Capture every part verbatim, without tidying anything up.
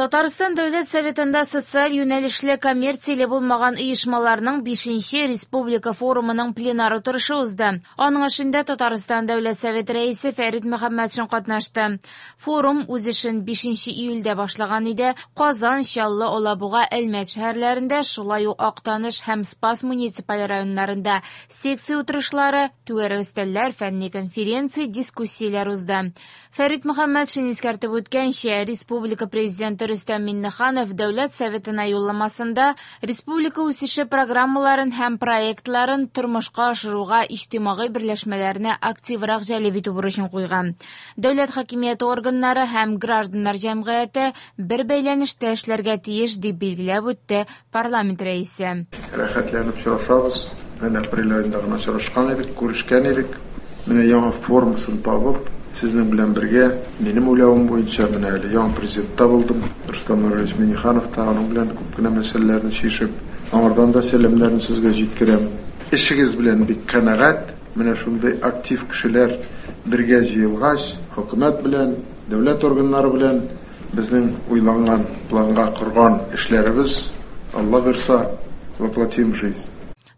Татарстан Дәүләт Советында социаль юнәлешле коммерцияле булмаган оешмаларның бишенче республика форумының пленар утырышы узды. Аның эшендә Татарстан Дәүләт Советы рәисе Фәрит Мөхәммәтшин катнашты. Форум үз эшен бишенче июльдә башлаган иде. Казан, Чаллы, Алабуга, Әлмәт шәһәрләрендә, шулай ук Актаныш һәм Спас муниципаль районнарында секция утырышлары, түгәрәк өстәлләр, фәнни конференция, дискуссияләр узды. Фәрит Мөхәммәтшин искәртеп үткәнчә, республика президенты Рөстәм Миңнеханов Дәүләт Советына юлламасында республика үсеше программаларын һәм проектларын тормышка ашыруга иҗтимагый берләшмәләрне активрак җәлеп итү бурычын куйган. Дәүләт хакимияте органнары һәм гражданнар җәмгыяте бер бәйләнештә эшләргә тиеш, дип билгеләп үтте парламент рәисе. Рәхәтләнеп очрашабыз. Менә апрель аенда гына очрашкан идек, күрешкән идек. Менә яңа формасын табып, сезнең белән бергә, минем уйлавым буенча, менә әле яңа президент та булдым. Рөстәм Нургалиевич Миңнеханов та аның белән күп кенә мәсьәләләрне чишеп, аңардан да сәламнәрне сезгә җиткерәм. Эшегез белән бик канәгать. Менә шундый актив кешеләр бергә җыелгач, хөкүмәт белән, дәүләт органнары белән безнең уйланган, планга корган эшләребез, Алла бирса, воплотим в жизнь.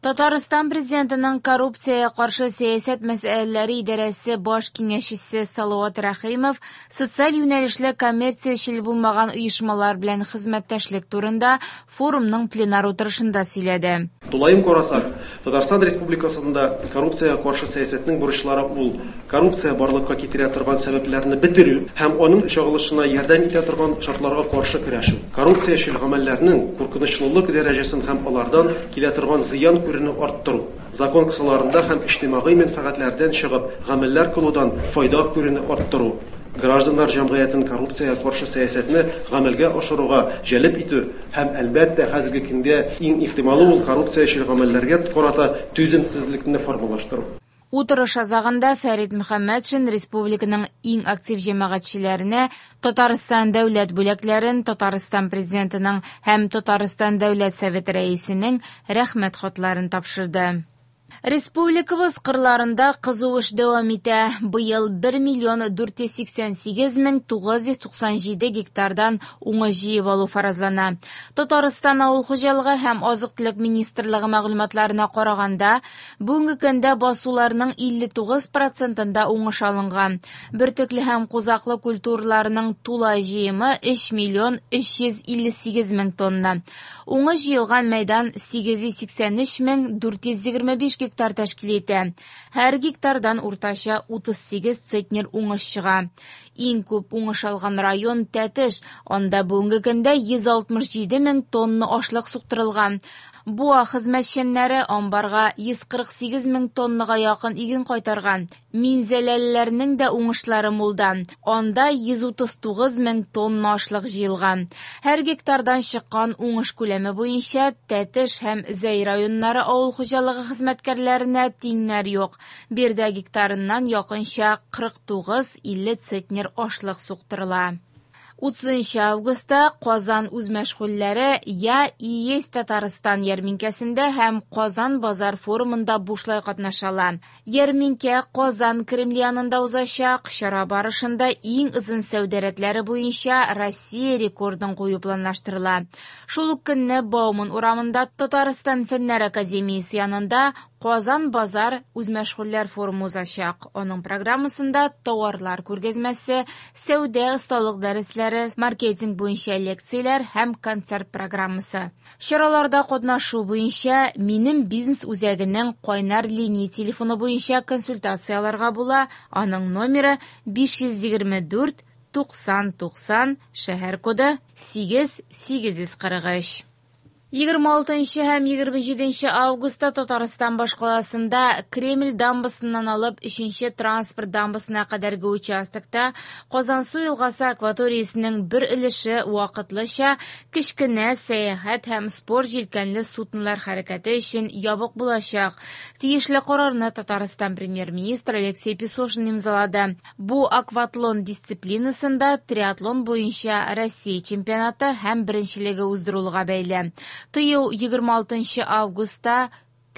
Татарстан президентының коррупциягә каршы сәясәт мәсьәләләре идарәсе баш киңәшчесе Салават Рәхимов социаль юнәлешле коммерциячел булмаган оешмалар белән хезмәттәшлек турында форумның пленар утырышында сөйләде. Тулаем карасак, Татарстан Республикасында коррупциягә каршы сәясәтнең бурычлары ул коррупция барлыкка китерә торган сәбәпләрне бетерү һәм аның чагылышына ярдәм итә торган шартларга каршы көрәшү. Коррупциячел гамәлләрнең куркынычлылык дәрәҗәсен һәм алардан килә торган зыян күрүне арттыру. Закон кысаларында һәм иҗтимагый мәнфәгатьләрдән чыгып гамәлләр кылудан файда күрүне арттыру. Гражданнар җәмгыятен коррупциягә каршы сәясәтне гамәлгә ашыруга җәлеп итү һәм әлбәттә хәзерге көндә иң ихтималы ул коррупциячел гамәлләргә карата түземсезлекне формалаштыру. Утырыш азагында Фәрит Мөхәммәтшин республиканың иң актив җәмәгатьчеләренә Татарстан дәүләт бүләкләрен, Татарстан президентының һәм Татарстан Дәүләт Советы рәисенең рәхмәт хатларын тапшырды. Республикабыз кырларында кызу эш дәвам итә. Быел бер миллион дүрт йөз сиксән сигез мең тугыз йөз туксан җиде гектардан уңыш җыеп алу фаразлана. Татарстан Авыл хуҗалыгы һәм азык-төлек министрлыгы мәгълүматларына караганда, бүгенге көндә басуларның илле тугыз процентында уңыш алынган. Бөртекле һәм кузаклы культураларның тулай җыемы өч миллион өч йөз илле сигез мең тонна. Уңыш җыелган мәйдан сигез йөз сиксән өч мең дүрт йөз егерме биш гектар тәшкил итә. Һәр гектардан уртача утыз сигез центнер уңыш чыга. Иң күп уңыш алган район Тәтеш, анда бүгенге көндә йөз алтмыш җиде мең тонна ашлык суктырылган. Буа хезмәтчәннәре амбарга йөз кырык сигез мең тоннага якын иген кайтарган. Минзәләлеләрнең дә уңышлары мулдан. Анда йөз утыз тугыз мең тонна ашлык җыелган. Һәр гектардан чыккан уңыш күләме буенча Тәтеш һәм Зәй районнары авыл хуҗалыгы хезмәткәрләренә тиңнәр юк. Биредә гектарыннан якынча кырык тугыз илле центнер ашлык суктырыла. Утызынчы августта Казан үзмәшгульләре Я и есть Татарстан ярминкәсендә һәм Казан базар форумында бушлай катнашала. Ярминкә Казан Кремле янында узачак. Чара барышында иң озын сәүдә рәтләре буенча Россия рекордын кую планлаштырыла. Шул ук көнне Бауман урамында Татарстан Фәннәр академиясе янында Казан базар үзмәшгульләр форумы узачак. Аның программасында тауарлар күргәзмәсе, сәүдә осталык дәресләре, маркетинг буенча лекцияләр һәм концерт программасы. Чараларда катнашу буенча Минем бизнес үзәгенең кайнар линия телефоны буенча консультацияләргә була. Аның номеры биш йөз егерме дүрт туксан туксан, шәһәр коды сигез сигез йөз кырык өч. Егерме алтынчы һәм егерме җиденче августта Татарстан башкаласында Кремль дамбасыннан алып өченче транспорт дамбасына кадәрге участокта Казансу елгасы акваториясенең бер өлеше вакытлыча кечкенә сәяхәт һәм спорт җилкәнле суднолар хәрәкәте өчен ябык булачак. Тиешле карарны Татарстан премьер-министры Алексей Песошин имзалады. Бу акватлон дисциплинасында триатлон буенча Россия чемпионаты һәм беренчелеге уздырылуга бәйле. Тыю егерме алтынчы августта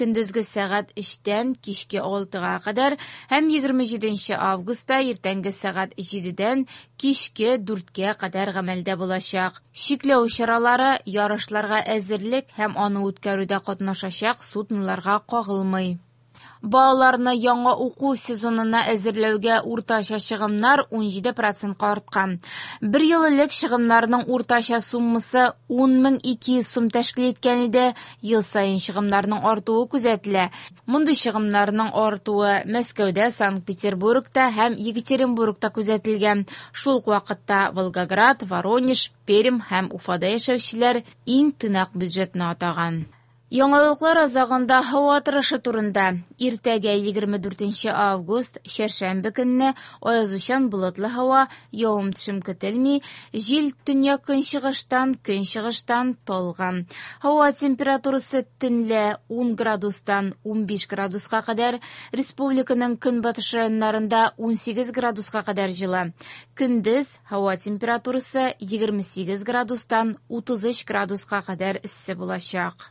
көндезге сәгать өчтән кичке алтыга кадәр һәм егерме җиденче августта иртәнге сәгать җидедән кичке дүрткә кадәр гамәлдә булачак. Чикләү чаралары ярышларга әзерлек һәм аны үткәрүдә катнашачак судноларга кагылмый. Балаларны яңа уку сезонына әзерләүгә уртача чыгымнар ун җиде процентка арткан. Бер ел элек чыгымнарның уртача суммасы ун мең ике йөз сум тәшкил иткән иде. Ел саен чыгымнарның артуы күзәтелә. Мондый чыгымнарның артуы Мәскәүдә, Санкт-Петербургта һәм Екатеринбургта күзәтелгән. Шул ук вакытта Волгоград, Воронеж, Пермь һәм Уфада яшәүчеләр иң тыйнак бюджетны атаган. Яңалыклар азагында һава торышы турында. Иртәгә егерме дүртенче август, чәршәмбе көнне аязучан болытлы һава, явым-төшем көтелми, җил төньяк-көнчыгыштан, көнчыгыштан талгын. Һава температурасы төнлә ун градустан ун биш градуска кадәр, республиканың көнбатыш районнарында ун сигез градуска кадәр җылы. Көндез һава температурасы егерме сигез градустан утыз өч градуска кадәр эссе булачак.